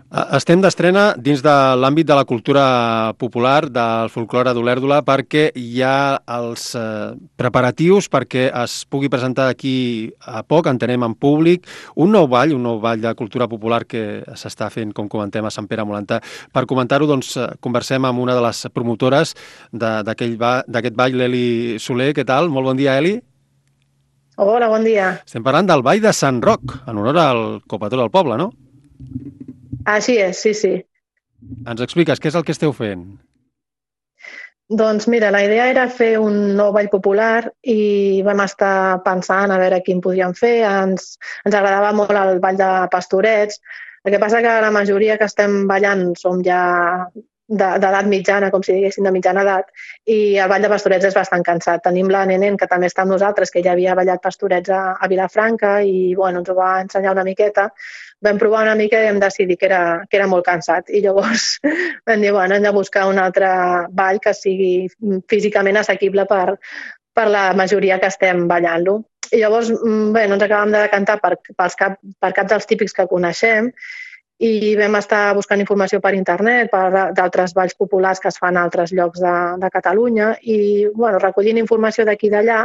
Estem d'estrena dins de l'àmbit de la cultura popular, del folklore d'Olèrdola, perquè hi ha els preparatius perquè es pugui presentar d'aquí a poc, entenem, en públic, un nou ball de cultura popular que s'està fent, com comentem, a Sant Pere Molantà. Per comentar-ho, doncs, conversem amb una de les promotores d'aquest ball, l'Eli Soler. Què tal? Molt bon dia, Eli. Hola, bon dia. Estem parlant del ball de Sant Roc, en honor al copatró del poble, no? Així és, sí, sí. Ens expliques què és el que esteu fent? Doncs mira, la idea era fer un nou ball popular i vam estar pensant a veure quin podíem fer. Ens agradava molt el ball de Pastorets. El que passa que la majoria que estem ballant som ja d'edat mitjana, com si diguéssim, de mitjana edat, i el ball de Pastorets és bastant cansat. Tenim la Nenen, que també està amb nosaltres, que ja havia ballat Pastorets a Vilafranca i bueno, ens ho va ensenyar una miqueta. Vam provar una mica i vam decidir que era molt cansat. I llavors vam dir, bueno, hem de buscar un altre ball que sigui físicament assequible per la majoria que estem ballant-lo. I llavors, bé, no ens acabem de decantar per cap dels típics que coneixem i vam estar buscant informació per internet, d'altres balls populars que es fan a altres llocs de Catalunya i, bueno, recollint informació d'aquí i d'allà,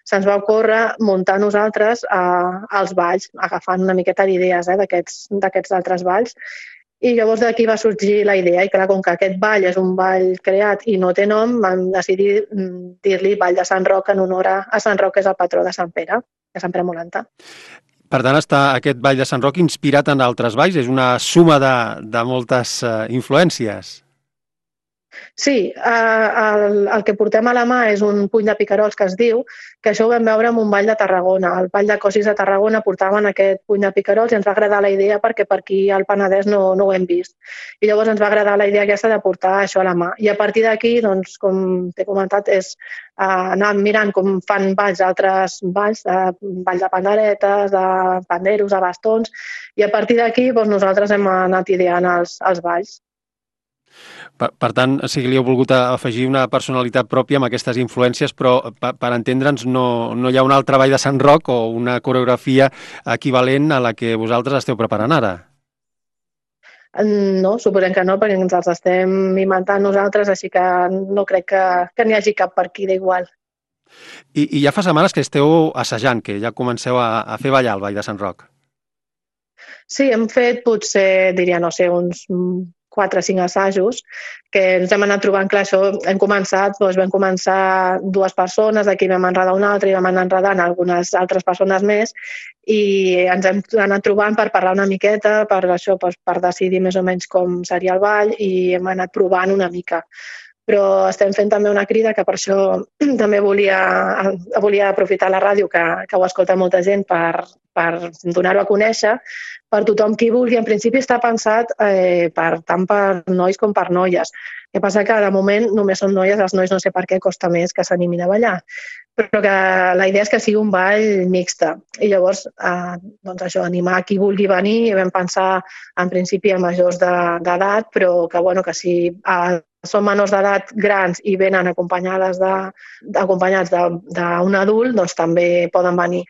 se'ns va ocórrer muntar nosaltres els balls, agafant una miqueta d'idees d'aquests altres balls. I llavors d'aquí va sorgir la idea, i clar, com que aquest ball és un ball creat i no té nom, vam decidir dir-li Ball de Sant Roc en honor a Sant Roc, que és el patró de Sant Pere Molantà. Per tant, està aquest ball de Sant Roc inspirat en altres balls, és una suma de moltes influències. Sí, el que portem a la mà és un puny de picarols que es diu, que això ho vam veure en un ball de Tarragona. El ball de Cosis de Tarragona portaven aquest puny de picarols i ens va agradar la idea perquè per aquí al Penedès no ho hem vist. I llavors ens va agradar la idea aquesta de portar això a la mà. I a partir d'aquí, doncs, com t'he comentat, és anar mirant com fan balls altres balls, ball de panderetes, de panderos, de bastons, i a partir d'aquí doncs, nosaltres hem anat ideant els balls. Per tant, o sigui, li heu volgut afegir una personalitat pròpia amb aquestes influències, però per entendre'ns no hi ha un altre ball de Sant Roc o una coreografia equivalent a la que vosaltres esteu preparant ara. No, suposem que no, perquè ens els estem inventant nosaltres, així que no crec que n'hi hagi cap per aquí d'igual. I ja fa setmanes que esteu assajant, que ja comenceu a fer ballar el ball de Sant Roc. Sí, hem fet potser, diria, no sé, uns 4 o 5 assajos que ens hem anat trobant, clar, això hem començat, doncs vam començar 2 persones, d'aquí vam enredar una altra i vam anar enredant algunes altres persones més i ens hem anat trobant per parlar una miqueta, per això, per decidir més o menys com seria el ball i hem anat provant una mica. Però estem fent també una crida, que per això també volia aprofitar la ràdio, que ho escolta molta gent, per donar-ho a conèixer, per tothom qui vulgui. En principi està pensat tant per nois com per noies. El que passa que de moment només són noies, els nois no sé per què costa més que s'animin a ballar, però que la idea és que sigui un ball mixta. I llavors, doncs això, animar qui vulgui venir, i vam pensar en principi a majors d'edat, però que, bueno, que si són menors d'edat grans i venen acompanyats d'un adult, doncs també poden venir.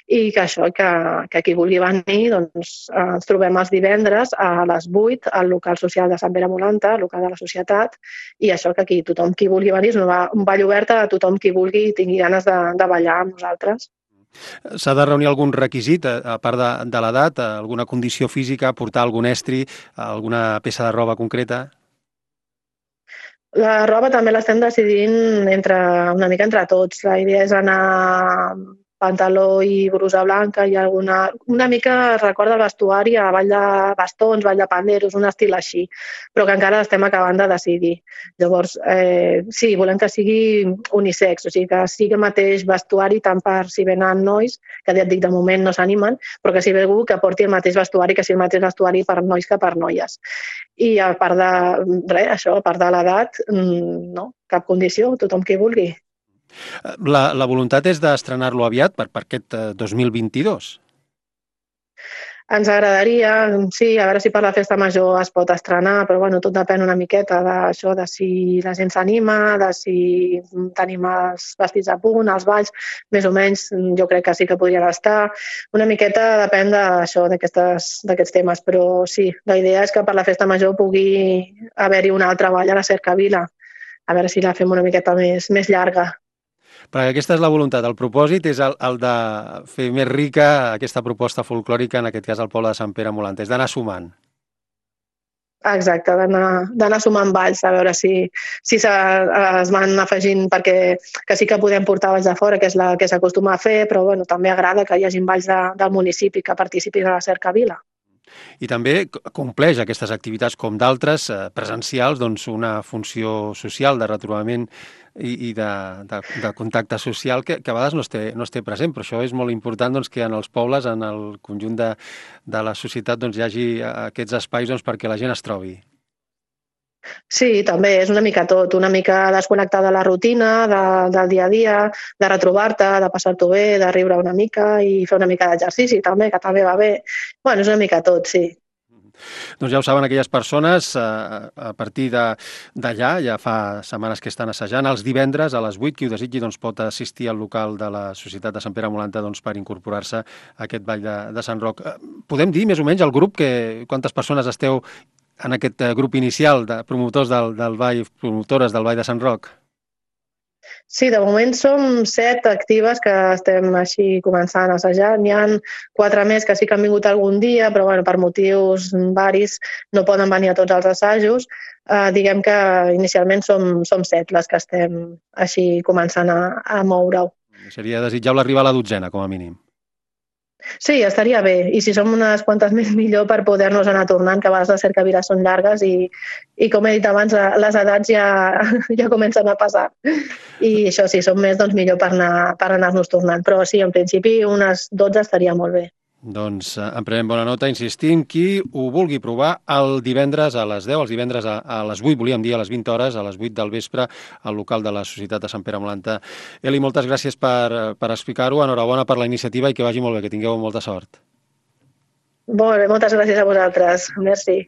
I que això, que qui vulgui venir, doncs ens trobem els divendres a les 8 al local social de Sant Pere Molanta, al local de la societat, i això, que aquí tothom qui vulgui venir, és un ball obert a tothom qui vulgui i tingui ganes de ballar amb nosaltres. S'ha de reunir algun requisit, a part de l'edat, alguna condició física, portar algun estri, alguna peça de roba concreta? La roba també l'estem decidint una mica entre tots. La idea és anar pantaló i brusa blanca i una mica recorda el vestuari a ball de bastons, ball de panderos, un estil així, però que encara estem acabant de decidir. Llavors, sí, volem que sigui unisex, o sigui, que sigui el mateix vestuari tant per si venen nois, que ja et dic, de moment no s'animen, però que si ve algú que porti el mateix vestuari, que sigui el mateix vestuari per nois que per noies. I a part de res, això, a part de l'edat, no, cap condició, tothom qui vulgui. La voluntat és d'estrenar-lo aviat per aquest 2022. Ens agradaria, sí, a veure si per la festa major es pot estrenar, però bueno, tot depèn una miqueta d'això, de si la gent s'anima, de si tenim els vestits a punt, els balls, més o menys, jo crec que sí que podrien estar. Una miqueta depèn d'això, d'aquests temes, però sí, la idea és que per la festa major pugui haver-hi un altre ball a la Cercavila, a veure si la fem una miqueta més llarga. Perquè aquesta és la voluntat. El propòsit és el de fer més rica aquesta proposta folclòrica, en aquest cas al poble de Sant Pere Molant, és d'anar sumant. Exacte, d'anar sumant balls, a veure si es van afegint, perquè que sí que podem portar balls de fora, que és el que s'acostuma a fer, però bueno, també agrada que hi hagi balls del municipi que participin a la Cercavila. I també compleix aquestes activitats com d'altres presencials doncs una funció social de retrobament i de contacte social que a vegades no es té present, però això és molt important doncs, que en els pobles, en el conjunt de la societat doncs, hi hagi aquests espais doncs, perquè la gent es trobi. Sí, també és una mica tot, una mica desconnectar de la rutina, del dia a dia, de retrobar-te, de passar-t'ho bé, de riure una mica i fer una mica d'exercici també, que també va bé. Bueno, és una mica tot, sí. Doncs ja ho saben aquelles persones, a partir d'allà, ja fa setmanes que estan assajant, els divendres a les 8, qui ho desitgi doncs, pot assistir al local de la Societat de Sant Pere Molanta doncs, per incorporar-se a aquest ball de Sant Roc. Podem dir, més o menys, el grup, quantes persones esteu en aquest grup inicial de promotors del ball, promotores del ball de Sant Roc? Sí, de moment som 7 actives que estem així començant a assajar. N'hi ha 4 més que sí que han vingut algun dia, però bueno, per motius varis no poden venir a tots els assajos. Diguem que inicialment som 7 les que estem així començant a moure-ho. Seria desitjable arribar a la 12ena, com a mínim. Sí, estaria bé. I si som unes quantes més, millor per poder-nos anar tornant, que a vegades les cercaviles són llargues i com he dit abans, les edats ja comencen a passar. I això, si som més, doncs millor per anar-nos tornant. Però sí, en principi, unes 12 estaria molt bé. Doncs en prenem bona nota, insistim, qui ho vulgui provar el divendres a les 10, els divendres a les 8, volíem dir a les 20 hores, a les 8 del vespre, al local de la Societat de Sant Pere Molanta. Eli, moltes gràcies per explicar-ho, enhorabona per la iniciativa i que vagi molt bé, que tingueu molta sort. Molt bé, moltes gràcies a vosaltres. Merci.